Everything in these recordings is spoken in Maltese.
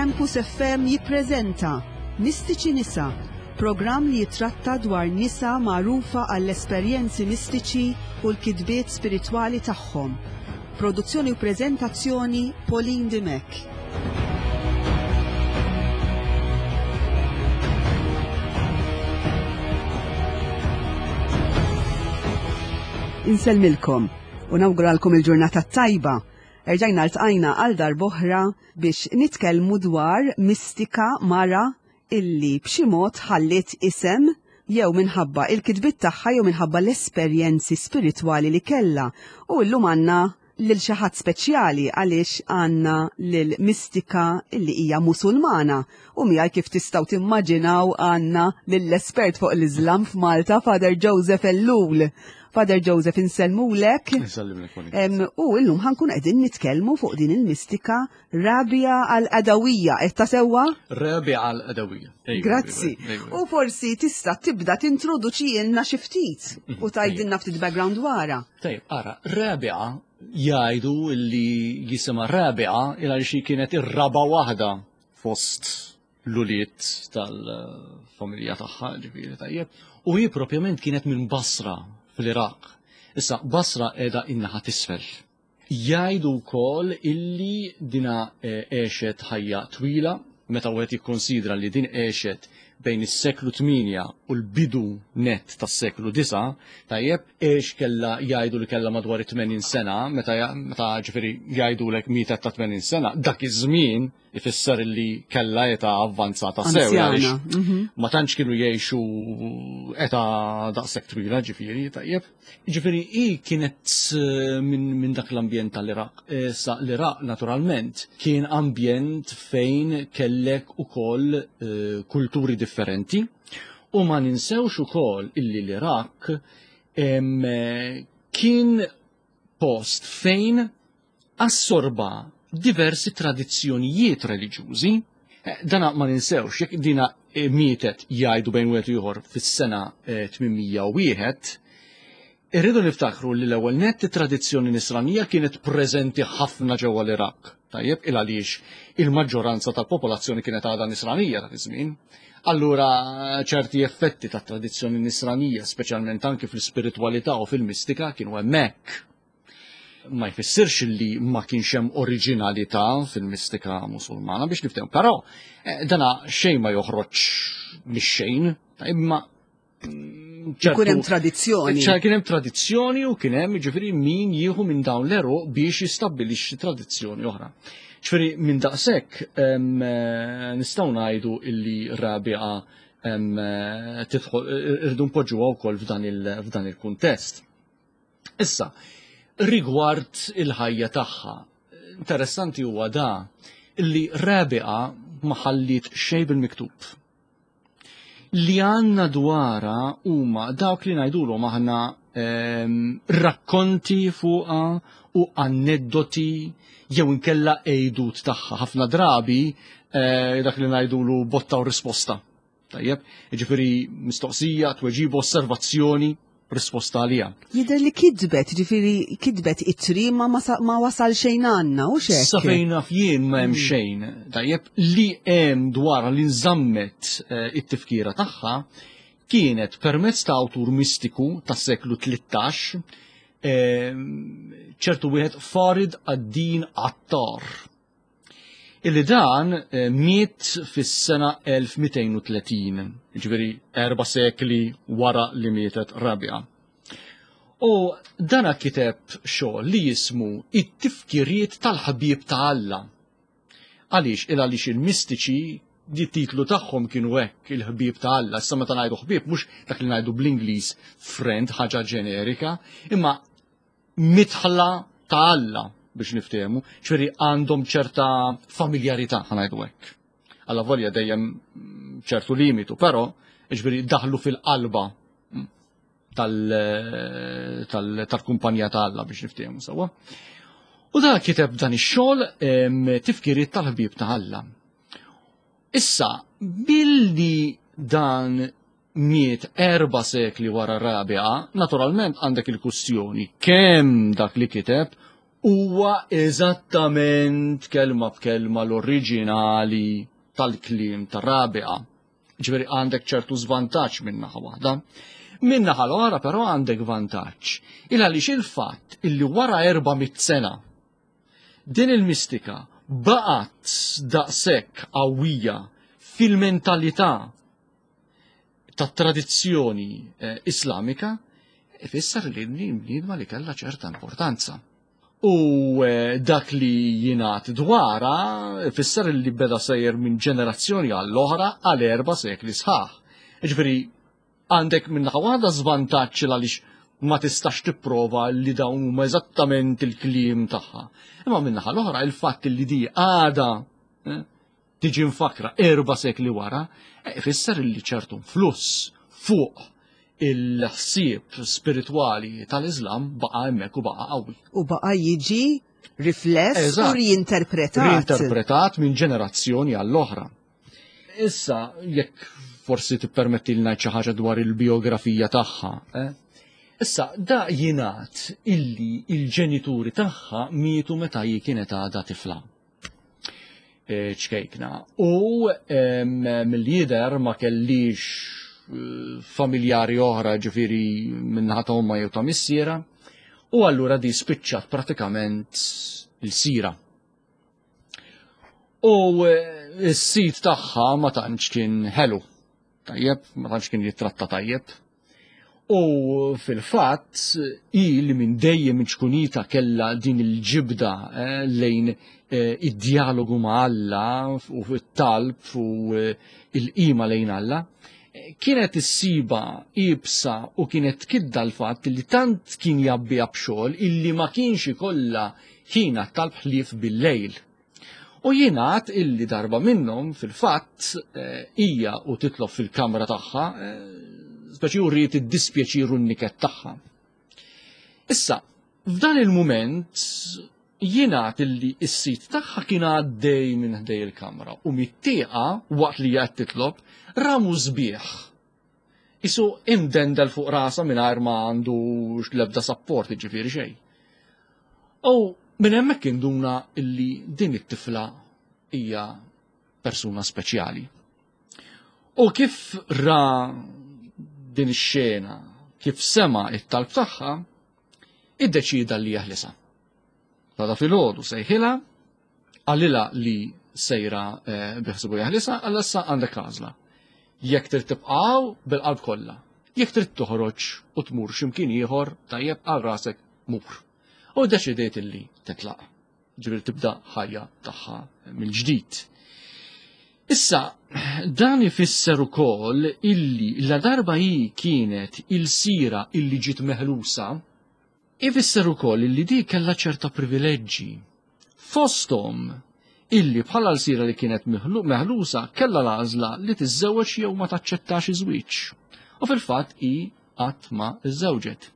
Campus FM jippreżenta Mistiċi Nisa, programm li jitratta dwar nisa magħrufa għall-esperjenzi mistiċi u l-kitbiet spiritwali tagħhom. Produzzjoni u preżentazzjoni Pauline Dimech. Insellmilkom u nawguralkom il-ġurnata tajba. Erġajna ltqajna għal darb'oħra biex nitkellmu dwar mistika mara illi b'xi mod ħalliet isem jew minħabba il-kitbiet tagħha jew minħabba l-esperjenzi spiritwali li kellha. U llum għandna lil xi ħadd speċjali għaliex għandna lil mistika illi hija Musulmana u miegħi kif tistgħu timmaġinaw għandna lill-espert fuq l-Iżlam f'Malta Father Joseph Ellul. Father Joseph insellmulek. U illum ħankun qegħdin nitkellmu fuq din il-mistika Rabia al-Adawija, qed ta' sewwa? Rabia al-Adawija. Grazzi. U forsi tista' tibda tintroduċi lna xi ftit u tgħidilna ftit background wara. Tajjeb, ara, Rabia jgħidu li jisimha Rabia il għaliex kienet ir-raba waħda fost l-ulied tal-familja tagħha, ġifieri tajjeb. U hi propjament kienet minn Basra fl-Iraq. Issa Basra qiegħda in-naħa t'isfel. Jgħidu wkoll illi dina għexet ħajja twila, meta wieħed jikkonsidra li din għexet bejn is-seklu 8 u l-bidu net tas-seklu 9, tajjeb, għex kellha jgħidu li kellha madwar 80 sena, meta meta ġifieri jgħidulek mietet ta' 80 sena, dak iż-żmien ifisser li kellha età avvanzata sew. Ma tantx kienu jgħixu età daqshekk twila ġifieri, tajjeb. Ġifieri hi kienet minn min dak l-ambjent tal-Iraq. Sa l-Iraq naturalment kien ambjent fejn kellek ukoll kulturi differenti u ma ninsewx ukoll illi l-Iraq kien post fejn assorba diversi tradizzjonijiet reliġjużi. Dana ma ninsewx, jekk dina mietet jgħidu bejn wieħed u ieħor fis-sena 801, irridu niftakru li l-ewwel nett it-tradizzjoni nisranija kienet preżenti ħafna ġewwa l-Iraq. Tajjeb, il għaliex il-maġġoranza tal-popolazzjoni kienet għadha nisranija dak iż-żmien. Allura ċerti effetti tat-tradizzjoni nisranija, speċjalment anki fl-ispiritwalità u fil-mistika, kienu hemmhekk. Ma jfissirx li ma kienx hemm oriġinalità fil-mistika Musulmana biex niftehmu, però dana xejn ma joħroġ mix-xejn, imma ċertu Kien hemm tradizzjoni. ċar kien hemm tradizzjoni u kien hemm ġifieri min jieħu minn dawn l-eruq biex jistabbilixxi tradizzjoni oħra. Ġifieri minn daqshekk nistgħu ngħidu illi Rabia tidħol irridu npoġġuha wkoll f'dan il-kuntest. Issa, rigward il-ħajja tagħha, interessanti huwa da illi Rabia ma ħalliet xejn bil-miktub. Li għandna dwarha huma dawk li ngħidulhom aħna rakkonti fuqha u aneddoti jew inkella għejdut tagħha. Ħafna drabi dak li ngħidulu botta u risposta. Tajjeb, jiġifieri mistoqsija, tweġiba, osservazzjoni, risposta għalija. Jidher li kitbet, ġifieri kitbet ittri ma ma wasal xejn għandna, u xek. Sa fejn naf jien ma hemm xejn. Tajjeb, li hemm dwar li nżammet it-tifkira tagħha kienet permezz ta' awtur mistiku tas-seklu 13, ċertu wieħed Farid ad-Din Attar. Illi dan miet fis-sena 1230, ġifieri 4 sekli wara li mietet Rabia. U dana kiteb xogħol li jismu It-Tifkiriet tal-Ħbieb ta' Alla. Għaliex? Il għaliex il-mistiċi it-titlu tagħhom kienu hekk, il-ħbieb ta' Alla. Issa meta ngħidu ħbieb mhux dak li ngħidu bl-Ingliż friend, ħaġa ġenerika, imma mitħla ta' Alla biex niftehmu, ġifieri għandhom ċerta familjarità ħa ngħidu hekk. Alla volja dejjem ċertu limitu, però ġifieri daħlu fil-qalba tal-kumpanija ta' Alla biex niftehmu sewwa. U da kiteb dan ix-xogħol tifkiriet tal-ħbieb ta' Alla. Issa, billi dan miet 4 sekli wara Rabia, naturalment għandek il-kustjoni kemm dak li kiteb. huwa eżattament kelma b'kelma l-oriġinali tal-kliem ta' Rabia. Ġifieri għandek ċertu żvantaġġ minn naħa waħda. Minn naħa l-oħra però għandek vantaġġ. Il għaliex il-fatt illi wara 400 sena din il-mistika baqgħet daqshekk qawwija fil-mentalità tat-tradizzjoni eh, Islamika, ifisser li bniedma li kellha ċerta importanza. U eh, dak li jingħad dwarha ifisser li beda sejjer minn ġenerazzjoni għall-oħra għal erba' sekli sħaħ. Ġifieri għandek minn naħa waħda żvantaġġ għaliex ma tistax tipprova li dawn huma eżattament il-kliem tagħha. Imma minn naħa l-oħra il-fatt li di għada eh, tiġi mfakra erba' sekli wara, eh, ifisser li ċertu fluss fuq il-ħsieb spiritwali tal-Islam baqa' hemmhekk u baqa' qawwi. U baqa' jiġi rifless u riinterpretat. Riinterpretat minn ġenerazzjoni għall-oħra. Issa, jekk forsi tippermetti li ngħid xi ħaġa dwar il-biografija tagħha. Eh? Issa, da jingħad illi il-ġenituri tagħha mietu meta hi kienet għadha tifla. Eh, ċkejkna. U mill-jider ma kellix eh, familjari oħra ġifiri minnaħa ta' omma jew ta' missiera, u allura di spiċċat pratikament il-sira. U eh, s-sit tagħha ma tantx kien ħelu. Tajjeb, ma tantx kien jittratta tajjeb. U fil-fatt, hi li minn dejjem ċkunita kellha din il-ġibda eh, lejn eh, id-dialogu ma' Alla u t-talb u eh, il-qima lejn Alla, kienet issiba ibsa u kienet kidda l-fatt li tant kien jabbiha b'xogħol illi ma kienx ikollha ħin għat-talb ħlief bil-lejl. U jingħad illi darba minnhom fil-fatt eh, hija u titlob fil-kamra tagħha, eh, speċi uriet id-dispjaċir u n-niket tagħha. Issa, f'dan il-mument jingħad illi s-sit tagħha kien għaddej minn ħdej il-kamra u mit-tieqa waqt li qed titlob ramu sbieħ Isu imdendel fuq rasa mingħajr ma għandu l-ebda sapport ġifieri xejn. U minn hemmhekk induna illi din it-tifla hija persuna speċjali. U kif ra din ix-xena, kif sema it-talb tagħha, iddeċida li jeħlisa. Tada filgħodu sejħilha Qalilha li sejra eh, biħsibu jaħlisa, għalla issa għandek għażla. Jekk trid tibqgħu bil-qalb kollha. Jekk trid toħroġ u tmur x'imkien ieħor tajjeb għal rasek mur. U deċidiet illi titlaq. Ġifieri tibda ħajja tagħha mill-ġdid. Issa, dan ifisser ukoll illi la darba hi kienet il-sira illi ġiet meħlusa, Ifisser ukoll illi di kellha ċerta privileġġi. Fosthom illi bħala lsira li kienet meħlusa kellha l-għażla li tiżżewweġ jew ma taċċettax iż-żwieġ. U fil-fatt hi qatt ma żżewġet.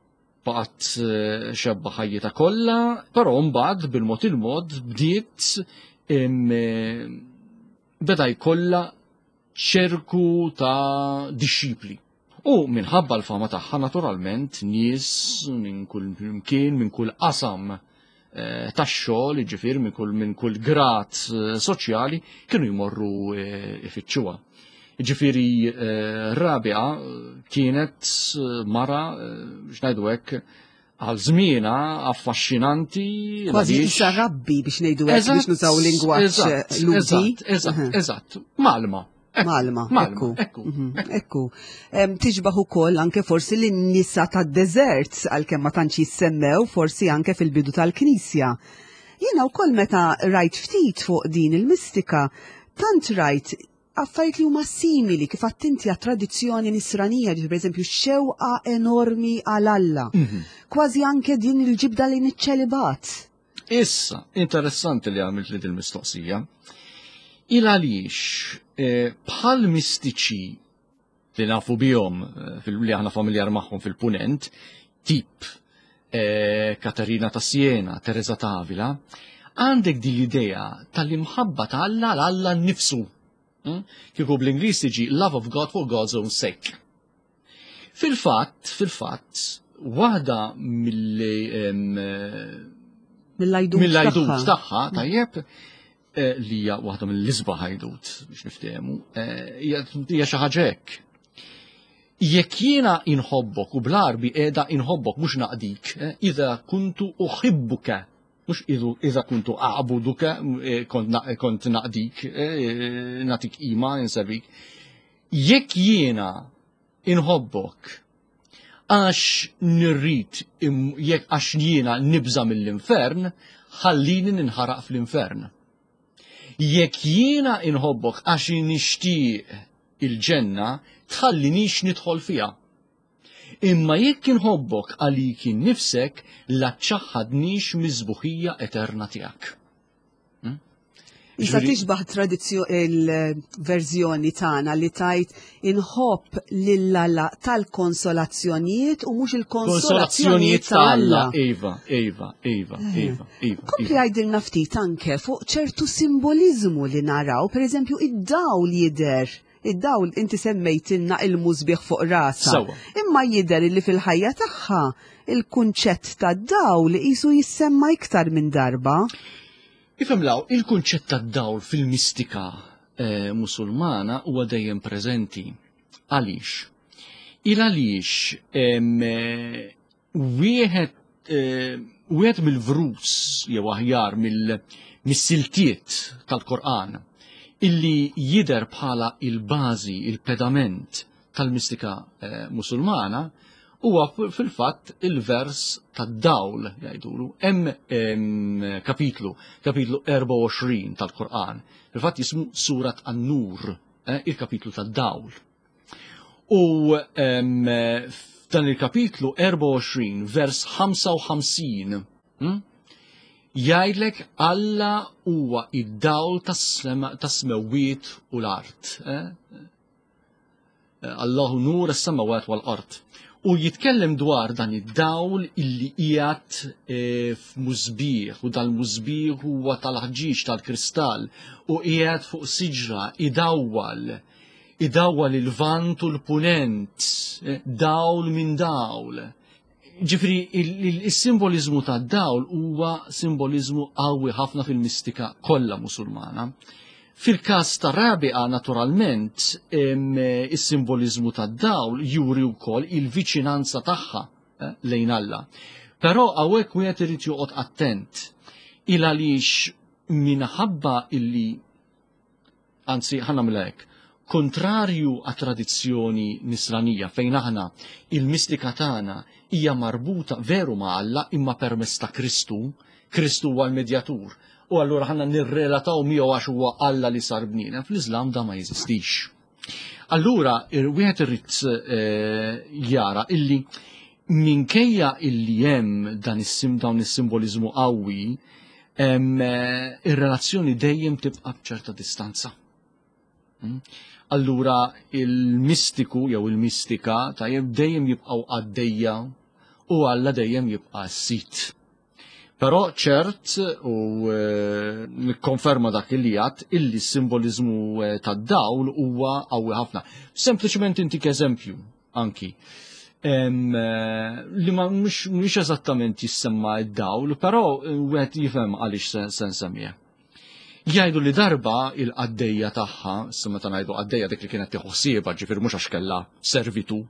Baqgħet eh, xebba ħajjitha kollha, però mbagħad bil-mod il-mod bdiet eh, beda jkollha ċerku ta' dixxipli. U minħabba l-fama tagħha naturalment nies minn kull mkien, minn kull qasam eh, tax-xogħol, jiġifieri minn kull minn kull grad eh, soċjali kienu jmorru eh, ifittxuha. Jiġifieri Rabia kienet mara biex ngħidu hekk għal żmienha affaxxinanti. Kważi issa rabbi biex ngħidu hekk biex nużaw lingwaġġ ludi. Eżatt, eżatt, malma. Malma, ekku. Ekku. Mhm, ekku. Tiġbaħ ukoll anke forsi lin-nisa tad-deżert għalkemm ma tantx jissemmew forsi anke fil-bidu tal-Knisja. Jiena wkoll meta rajt ftit fuq din il-mistika, tant rajt affarijiet li huma simili kif attinti għat-tradizzjoni nisranija, ġifieri pereżempju xewqa enormi għal Alla. Mhm. Kważi anke din il-ġibda lejn iċ-ċelibat. Issa, interessanti li għamilt li dil-mistoqsija. Il għaliex eh, bħal mistiċi li nafu bihom eh, li aħna familjar magħhom fil-punent, tip eh, Katarina ta' Siena, Teresa ta' Avila, għandek din l-idea tal-imħabba ta' Alla l-Alla nnifsu. Hmm? Kieku bl-Ingliż tiġi love of God for God's own sake. Fil-fatt, fil-fatt, waħda mill Mill-għajdut tagħha, tajjeb, eh, li hija waħda mill-isbaħ għajdut biex niftehmu, eh, hija xi ħaġa hekk. Jekk jiena inħobbok u bl-Għarbi qiegħda inħobbok mhux naqdik, eh, idha kuntu uħibbuka, mhux idha kuntu a'buduka, kont naqdik, nagħtik qima, inservik. Jekk jiena inħobbok għax nirrid jekk għax jiena nibża' mill-infern, ħallini ninħaraq fl-infern. Jekk jiena inħobbok għax nixtieq il-ġenna, tħallinix nidħol fiha. Imma jekk inħobbok għalik innifsek, la ċċaħħadnix miż-sbuħija eterna tiegħek. Hmm? Issa tixbaħ il-verżjoni tagħna li tajt inħobb lil Alla tal-konsolazzjonijiet u mhux il-konsolazzjonijiet ta' Alla. Iva, iva, iva, eh. iva, iva. Kompli għajdilna ftit anke fuq ċertu simboliżmu li naraw, pereżempju id-dawl jidher Id-dawl inti semmejtilna il-musbieħ fuq rasha. Imma jidher li fil-ħajja tagħha il-kunċett tad-dawl qisu jissemma iktar minn darba. Ifhem law, il-kunċett tad-dawl fil-mistika eh, musulmana huwa dejjem preżenti. Għaliex? Il għaliex eh, wieħed eh, wieħed mill-vrus jew aħjar mill-siltiet tal-Korqan illi jidher bħala il-bażi, il-pedament tal-mistika eh, musulmana huwa fil-fatt il-vers tad-dawl jgħidulu. Hemm kapitlu, kapitlu 24 tal-Qur'an. Fil-fatt jismu Surat An-Nur, eh, il-kapitlu tad-dawl. U f'dan il-kapitlu 24 vers 55 hm, jgħidlek Alla huwa id-dawl tas-smewwiet u l-art. Eh? Allahu nur as-samawat wal-art. U jitkellem dwar dan id-dawl illi qiegħed eh, f'musbieħ u dal-musbieħ huwa tal-ħġieġ tal-kristall u qiegħed fuq siġra idawwal idawwal il-vant u l-punent, eh, dawl minn dawl. Ġifri, il-simbolizmu ta' dawl huwa simbolizmu qawwi ħafna fil-mistika kollha musulmana. Fil-każ ta' Rabi'a, naturalment, is-simbolizmu ta' dawl juri wkoll il-viċinanza tagħha eh, lejn Alla. Però hawnhekk wieħed irid joqgħod attent il għaliex minħabba illi Anzi, ħa nagħmilha hekk. Kontrarju għat-tradizzjoni nisranija fejn aħna il-mistika tagħna hija marbuta veru ma' Alla imma permezz ta' Kristu, Kristu huwa l-medjatur. U allura ħanna nirrelataw miegħu għax huwa Alla li sar bniedem. Fl-Iżlam da ma jeżistix. Allura, wieħed irid eh, jara illi minkejja illi hemm dan is-sim dawn is-simboliżmu qawwi, eh, ir-relazzjoni dejjem tibqa' b'ċerta distanza. Hmm? Allura il-mistiku jew il-mistika tajjeb dejjem jibqgħu għaddejja u Alla dejjem jibqa' s-sit. Però ċert u eh, nikkonferma dak li għat illi s-simbolizmu eh, tad-dawl huwa qawwi ħafna. Sempliċement intik eżempju anki. Eh, li ma mhux eżattament jissemma d-dawl, però wieħed jifhem għaliex se nsemmih. Jgħidu li darba il-qaddejja tagħha, issa meta ngħidu qaddejja dik li kienet tieħu ħsiebha, ġifier mhux għax kellha servitu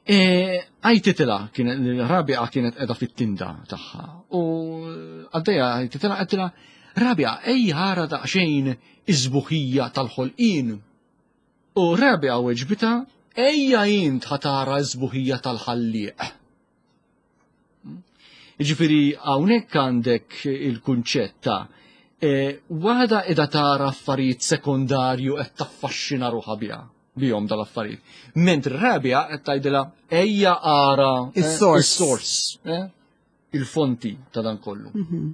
E, għajtitila, kienet, Rabia kienet edha fit-tinda tagħha. U għaddejja għajtitila għedtilha, Rabia, ejja ħara daqsxejn iż-żbuħija tal-ħolqien. U Rabia weġbita, ejja int ħatara ż-żbuħija tal-ħallieq. Ġifiri, hawnhekk għandek il-kunċett ta' e, waħda qiegħda tara affarijiet sekondarju qed taffaxxina ruħha biha bihom dal-affarijiet. Mentri Rabia qed tgħidilha ejja ara eh, is-sors, eh, il-fonti ta' dan kollu. Mhm.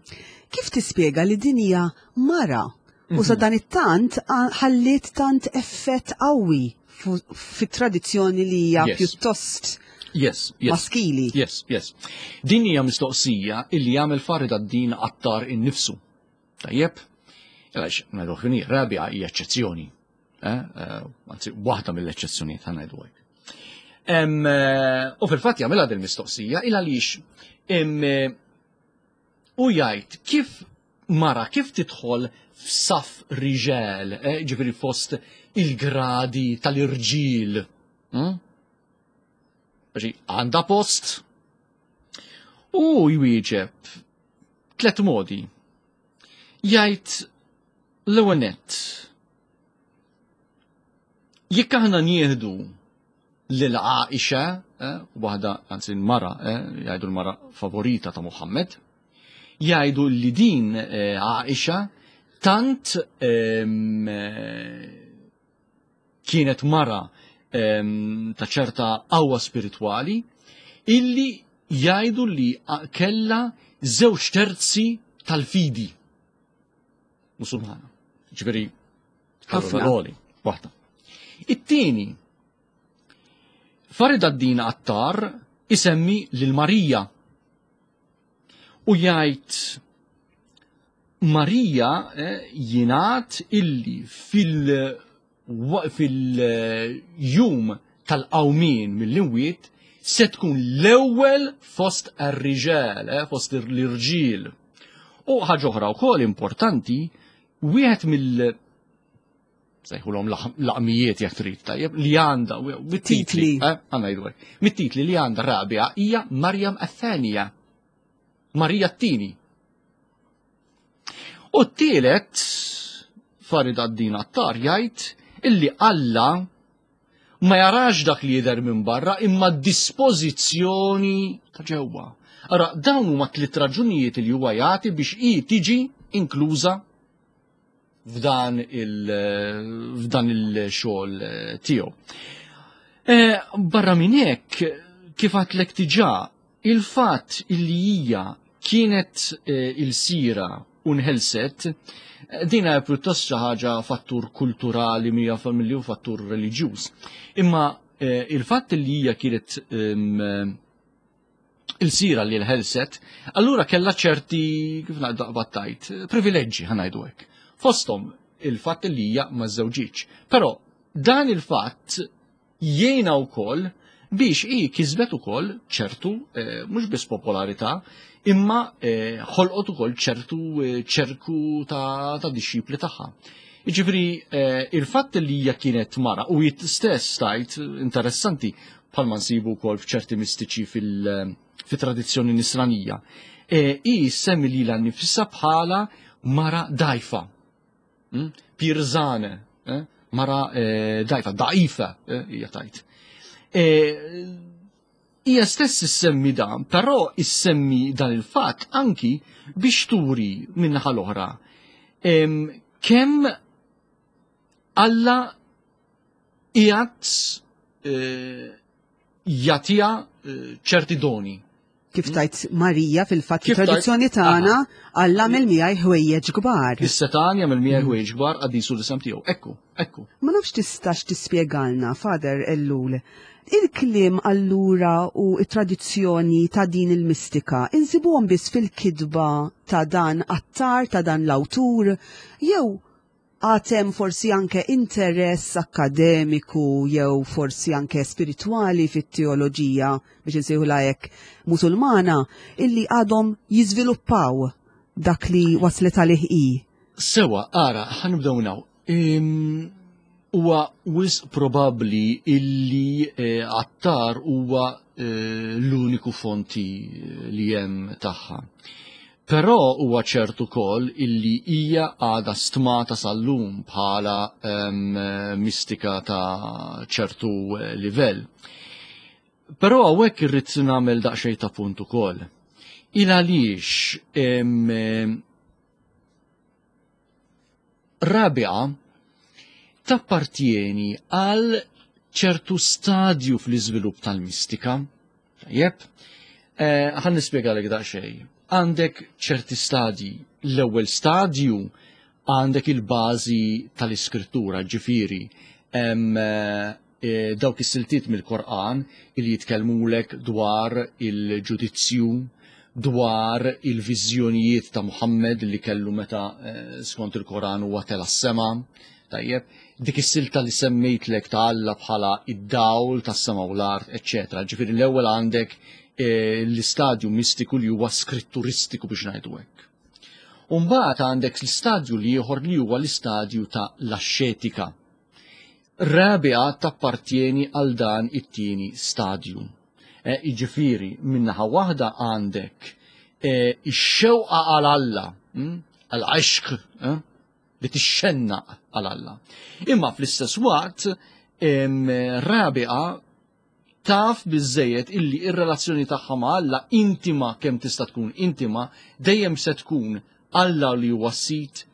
Kif tispjega li din hija mara u sa mhm. dan it-tant ħalliet tant effett qawwi fit-tradizzjoni li hija pjuttost yes, yes, maskili. Yes, yes. Din hija mistoqsija illi jagħmel Farid ad-Din Attar innifsu. Tajjeb? Għax, ngħidu ħini, Rabia hija eċċezzjoni. Eh, eh, anzi, waħda mill-eċċezzjonijiet ħa ngħidu hekk. Eh, u fil-fatt jagħmilha din mistoqsija il għaliex U jgħid kif mara kif tidħol f'saf riġel, eh, ġifieri fost il-gradi tal-irġiel. Hmm? Ġi, għandha post? U jwieġeb tlet modi. Jgħid l-ewwel nett. Jekk aħna nieħdu lil Aisha, eh, waħda anzi l-mara, eh, jgħidu l-mara favorita ta' Muhammad, jgħidu li din eh, Aisha tant ehm, kienet mara ehm, ta' ċerta qawwa spiritwali illi jgħidu li kella żewġ terzi tal-fidi musulmana. Ġifieri ħafna waħda. It-tieni, Farid ad-Din Attar isemmi lil Marija u jgħid Marija eh, jingħad illi fil- fil-jum tal-qawmien mill-imwiet se tkun l-ewwel fost ar-riġal, eh, fost l-irġiel. U ħaġa oħra wkoll importanti, wieħed mill sejħulhom laqmijiet jekk trid tajjeb li għandha mit-titli, eh, għandna jgħidu mit-titli li għandha Rabia hija Marjam Athenija. Marija t-tieni. U t-tielet Farid Addin Attar jgħid illi Alla ma jarax dak li jidher minn barra imma d-dispożizzjoni ta' ġewwa. Ara, dawn huma tliet raġunijiet li huwa jagħti biex hi tiġi inkluża f'dan il-xogħol eh, tiegħu. Eh, barra minn hekk, kif għatlek diġà, il-fatt illi hija kienet eh, il-sira u nħelset, din hija pjuttost xi ħaġa fattur kulturali mija familji u fattur reliġjuż. Imma il-fatt li hija kienet ehm, il-sira li l-ħelset, allura kella ċerti, kif battajt, privileġġi ħanajdu hekk. Fosthom il-fatt li hija ma żewġiċ. Però dan il-fatt jgħinha wkoll biex hi kisbet ukoll ċertu eh, mhux biss popolarità, imma eh, ħolqot ukoll ċertu eh, ċerku ta', ta dixxipli tagħha. Jiġifieri il-fatt li hija kienet mara u jit stess tajt interessanti bħalma nsibu wkoll f'ċerti mistiċi fil-tradizzjoni nisranija. E, hi semmi lilha nnifisha bħala mara dajfa. Hmm? Pirzane, eh? mara eh, dajfa, da'ifa, eh, hija tajt. Hija stess issemmi dan, però issemmi dan il-fatt anki biex turi minnaħa l-oħra kemm Alla qiegħed eh, jagħtiha eh, ċerti doni. Kif hmm? tajt Marija fil-fatt tradizzjoni tagħna Alla għamel miegħi ħwejjeġ kbar. Is-setan jagħmel miegħi hmm. ħwejjeġ kbar qaddisu l-isem tiegħu. Ekku, ekku. Ma nafx tistax tispjegalna, Father Ellul, il-kliem allura u it-tradizzjoni ta' din il-mistika insibuhom biss fil-kidba ta' dan attar ta' dan l-awtur jew Għad hemm forsi anke interess akkademiku jew forsi anke spiritwali fit-teoloġija, biex insejħulha hekk, Musulmana, illi għadhom jiżviluppaw dak li waslet għalih hi. Sewa, ara, ħa nibdew minn hawn. Huwa wisq probabbli illi eh, Attar huwa eh, l-uniku fonti eh, li hemm tagħha. Però huwa ċert ukoll illi hija għadha stmata sal-lum bħala mistika ta' ċertu livell. Però hawnhekk irrid nagħmel daqsxejn ta' punt ukoll. Il għaliex Rabia tappartjeni għal ċertu stadju fl-iżvilupp tal-mistika. Tajjeb, eh, ħan nispjegalek daqsxejn. Għandek ċerti stadji. L-ewwel stadju għandek il-bażi tal-iskrittura, ġifieri eh, eh, dawk is-siltiet mill-Korqan li jitkellmulek dwar il-ġudizzju, dwar il-viżjonijiet ta' Muhammad li kellu meta skont il-Koran huwa tela' s-sema. Tajjeb, dik is-silta li semmejtlek ta' Alla bħala id-dawl tas-sema u l-art, eċċetera. Ġifieri l-ewwel għandek l-istadju mistiku li huwa skritturistiku biex ngħidu hekk. Umbagħad għandek l-istadju li ieħor li huwa l-istadju ta' l-axxetika. Rabia tappartjeni għal dan it-tieni stadju. E, jiġifieri minnaħa waħda għandek e, ix-xewqa għal Alla, hm, għal għaxq, eh, li tixxennaq għal Alla. Imma fl-istess waqt Rabia taf biżejjed illi ir-relazzjoni tagħha ma' Alla intima kemm tista' tkun intima dejjem se tkun Alla li huwa sit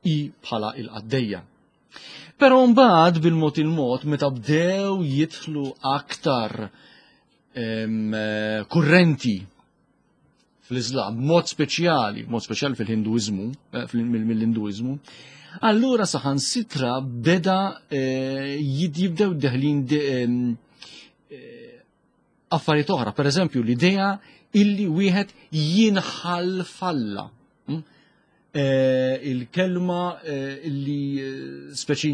i bħala il-qaddejja. Però mbagħad bil-mod il-mod meta bdew jidħlu aktar kurrenti fl-Islam, mod speċjali, mod speċjali fil-Hinduiżmu, eh, mill-Hinduiżmu, allura saħansitra beda eh, jibdew deħlin eh, affarijiet oħra, per eżempju l-idea illi wieħed jinħall falla. Hm? Il-kelma illi speċi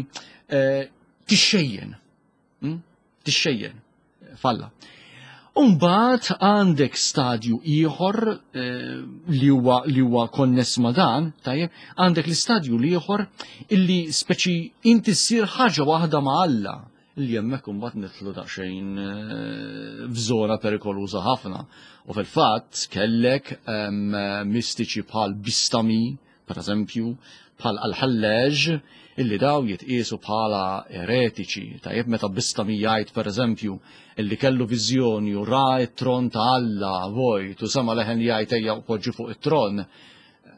tixxejjen. Hm? Tixxejjen falla. Umbat għandek stadju ieħor li huwa li huwa konness ma' dan, tajjeb, għandek l-istadju l-ieħor illi speċi inti ssir ħaġa waħda ma' Alla li hemmhekk imbagħad nidħlu daqsxejn eh, f'żona perikoluża ħafna. U fil-fatt kellek mistiċi bħal Bistami, per eżempju, bħal Al-Ħalleġ, illi daw jitqiesu bħala eretiċi. Tajjeb meta Bistami jgħid per eżempju illi kellu viżjoni u ra t-tron ta' Alla vojt u sema leħen jgħid ejja u poġġi fuq it-tron.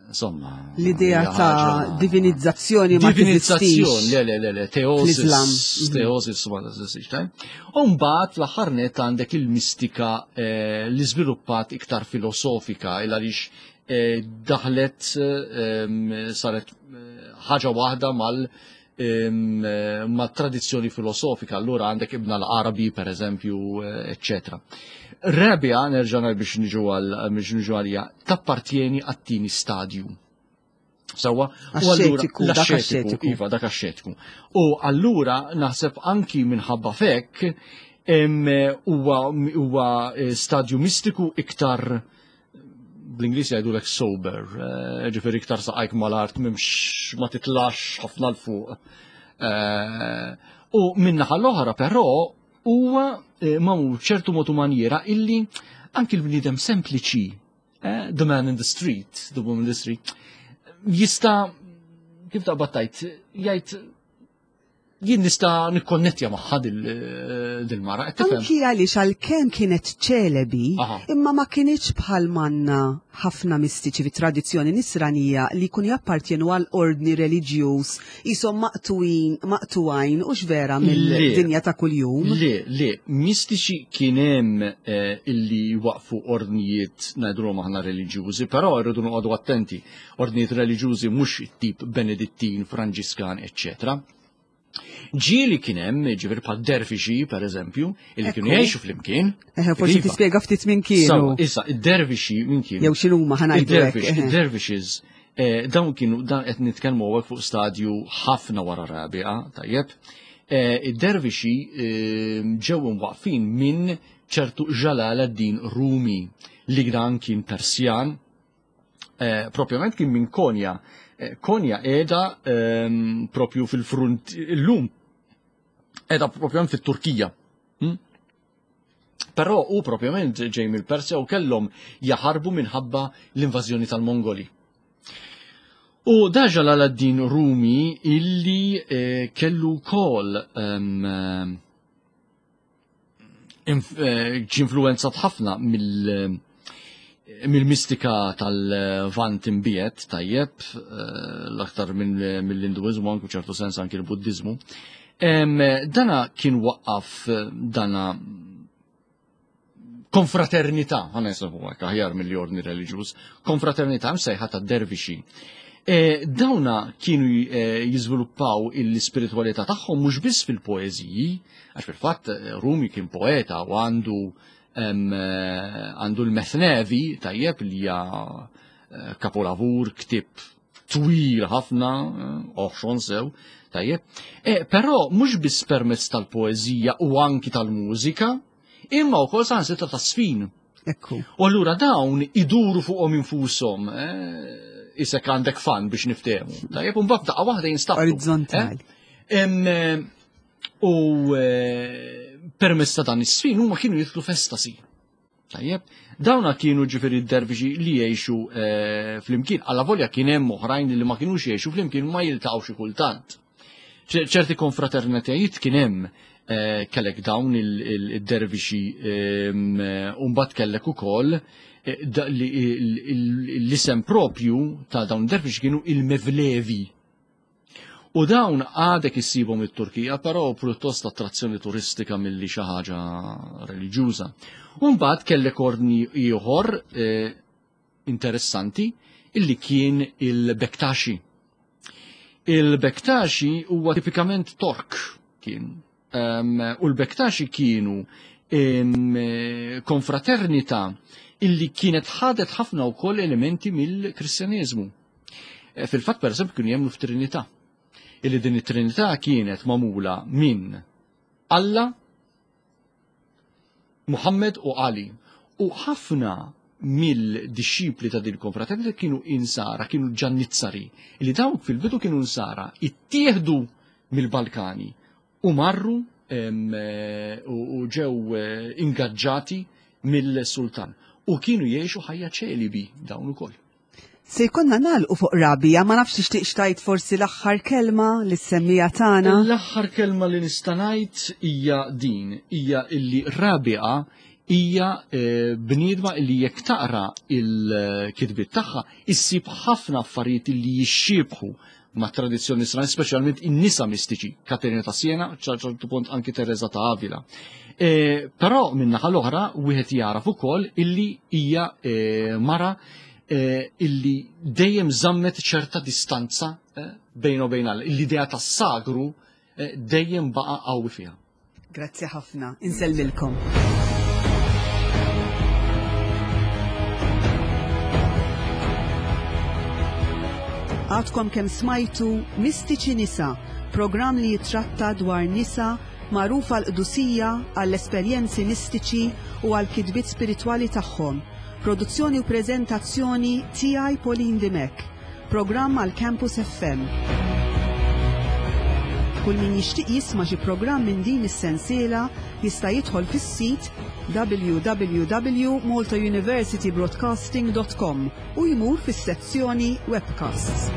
Insomma. L-idea ta' divinizzazzjoni ma Divinizzazzjoni, le, le, le, le, teosis, mhm. teosis ma teżistix, tajb. U mbagħad fl-aħħar net għandek il-mistika eh, li żviluppat iktar filosofika il għaliex eh, daħlet eh, saret ħaġa waħda mal ma' tradizzjoni filosofika, allura għandek Ibn al-Arabi per eżempju, eccetera. Rabia, nerġa' biex niġu għal biex niġu għalija, tappartjeni għat-tieni stadju. Sawa, u allura l-axxetiku, iva, dak axxetiku. U allura naħseb anki minħabba fekk huwa eh, stadju mistiku iktar bl-Ingliż jgħidulek sober, eh, ġifieri iktar saqajk mal-art m'hemmx ma titlax ħafna l fuq. Eh, u minnaħa l-oħra però huwa eh, ma ċertu mod u manjera illi anki l-bniedem sempliċi, the man in the street, the woman in the street, jista' kif taqbad tajt, jgħid jien nista' nikkonnettja magħha dil-mara. Anki għaliex għalkemm kienet ċelebi, imma ma kinitx bħal manna ħafna mistiċi fit-tradizzjoni nisranija li jkunu jappartjenu għal ordni reliġjuż qishom maqtuin, maqtuajn u vera mill-dinja ta' kuljum. Le, le, mistiċi kien hemm eh, illi waqfu ordnijiet ngħidulhom aħna reliġjużi, però rridu noqogħdu attenti. Ordnijiet reliġjużi mhux it-tip Benedittin, Franġiskan, eċċetera. Ġieli kien hemm, ġifieri bħal dervixi, per eżempju, illi kienu jgħixu flimkien. Eħe, forsi iva. tispjega ftit minn kienu. Issa, id-dervixi minn kienu. Jew x'inhuma ħanajdu. Id-dervixes, eh, dawn kienu dan qed nitkellmu hawnhekk fuq stadju ħafna wara rabia, tajjeb. Eh, id-dervixi eh, ġew imwaqfin minn ċertu Jalal ad-Din Rumi li dan kien Persjan Eh, propjament kien minn Konja. Eh, Konja qiegħda ehm, propju fil-frunt illum qiegħda propjament fit-Turkija. Hm? Però u propjament ġej mill-Persja u kellhom jaħarbu minħabba l-invażjoni tal-Mongoli. U da Jalaladdin Rumi illi eh, kellu kol ehm, Eh, ġi influenzat ħafna mill- mill-mistika tal-vant imbiet tajjeb, eh, l-aktar mill-Hinduizmu, anku ċertu sens anki l-Buddizmu. Dana kien waqqaf eh, dana konfraternità, għana jisibu għek, aħjar mill-ordni reliġjuż, konfraternità msejħa ta' dervixi. E, dawna kienu e, jiżviluppaw l-ispiritwalità tagħhom mhux biss fil-poeżiji, għax fil-fatt e, Rumi kien poeta u għandu għandu l-Methnevi tajjeb li hija kapolavur, ktieb twil ħafna, oħxon sew, tajjeb. Però mhux biss permezz tal-poeżija u anki tal-mużika, imma wkoll saħansitra tas-sfin. Ekku. U allura dawn iduru fuqhom infushom, eh, isek għandek fan biex niftehmu. Tajjeb, u mbagħad daqqa waħda jinstabtu. Orizzontali. Eh? Eh, u permezz ta' dan is-sfin huma kienu jidħlu f'estasi. Tajjeb, dawna kienu ġifieri d-dervixi li jgħixu flimkien. Alla volja kien hemm oħrajn li ma kinux jgħixu flimkien ma jiltaqgħu xi kultant. ċerti konfraternitajiet kien hemm eh, kellek dawn il-dervixi ehm, u mbagħad kellek ukoll eh, l-isem propju ta' dawn id-dervixi kienu il-Mevlevi. U dawn għadek issibhom it-Turkija, però pjuttost attrazzjoni turistika milli xi ħaġa reliġjuża. U mbagħad kellek ordni ieħor eh, interessanti illi kien il-Bektaxi. Il-Bektaxi huwa tipikament Tork kien. Um, u l-Bektaxi kienu um, konfraternità illi kienet ħadet ħafna wkoll elementi mill-Kristjaneżmu. E, fil-fatt pereżempju kienu jemmnu f'Trinità. Illi din it-Trinità kienet magħmula minn Alla, Muhammad u Ali. U ħafna mill-dixxipli ta' din il-konfraternita kienu insara, kienu ġannizzari, li dawk fil-bidu kienu insara, ittieħdu mill-Balkani u marru u ġew eh, ingaġġati mill-sultan u kienu jgħixu ħajja ċelibi dawn ukoll. Se jkollna nagħlqu fuq Rabia, ma nafx tixtieqx tgħid forsi l-aħħar kelma lis-semmiegħa tagħna. L-aħħar kelma li nista' ngħid hija din, hija illi Rabia hija eh, bniedma illi jekk taqra il-kitbiet tagħha issib ħafna affarijiet illi jixxiebħu ma' tradizzjoni Nisrani, speċjalment in-nisa mistiċi, Katerina ta' Siena, ċertu punt anki Teresa ta' Avila. E, però min-naħa l-oħra wieħed jaraf ukoll illi hija e, mara e, illi dejjem żammet ċerta distanza e, bejn u bejn Alla. L-idea tas-sagru e, dejjem baqa' qawwi fiha. Grazzi ħafna, insellmilkom. Għadkom kemm smajtu Mistiċi Nisa, programm li jitratta dwar nisa magħrufa l-qdusija għall-esperjenzi mistiċi u għall kitbiet spiritwali tagħhom. Produzzjoni u preżentazzjoni tiegħi Pauline Dimech. Programm għal Campus FM. Kull min jixtieq jisma' xi programm minn din is-sensiela jista' jidħol fis-sit www.maltauniversitybroadcasting.com u jmur fis-sezzjoni Webcasts.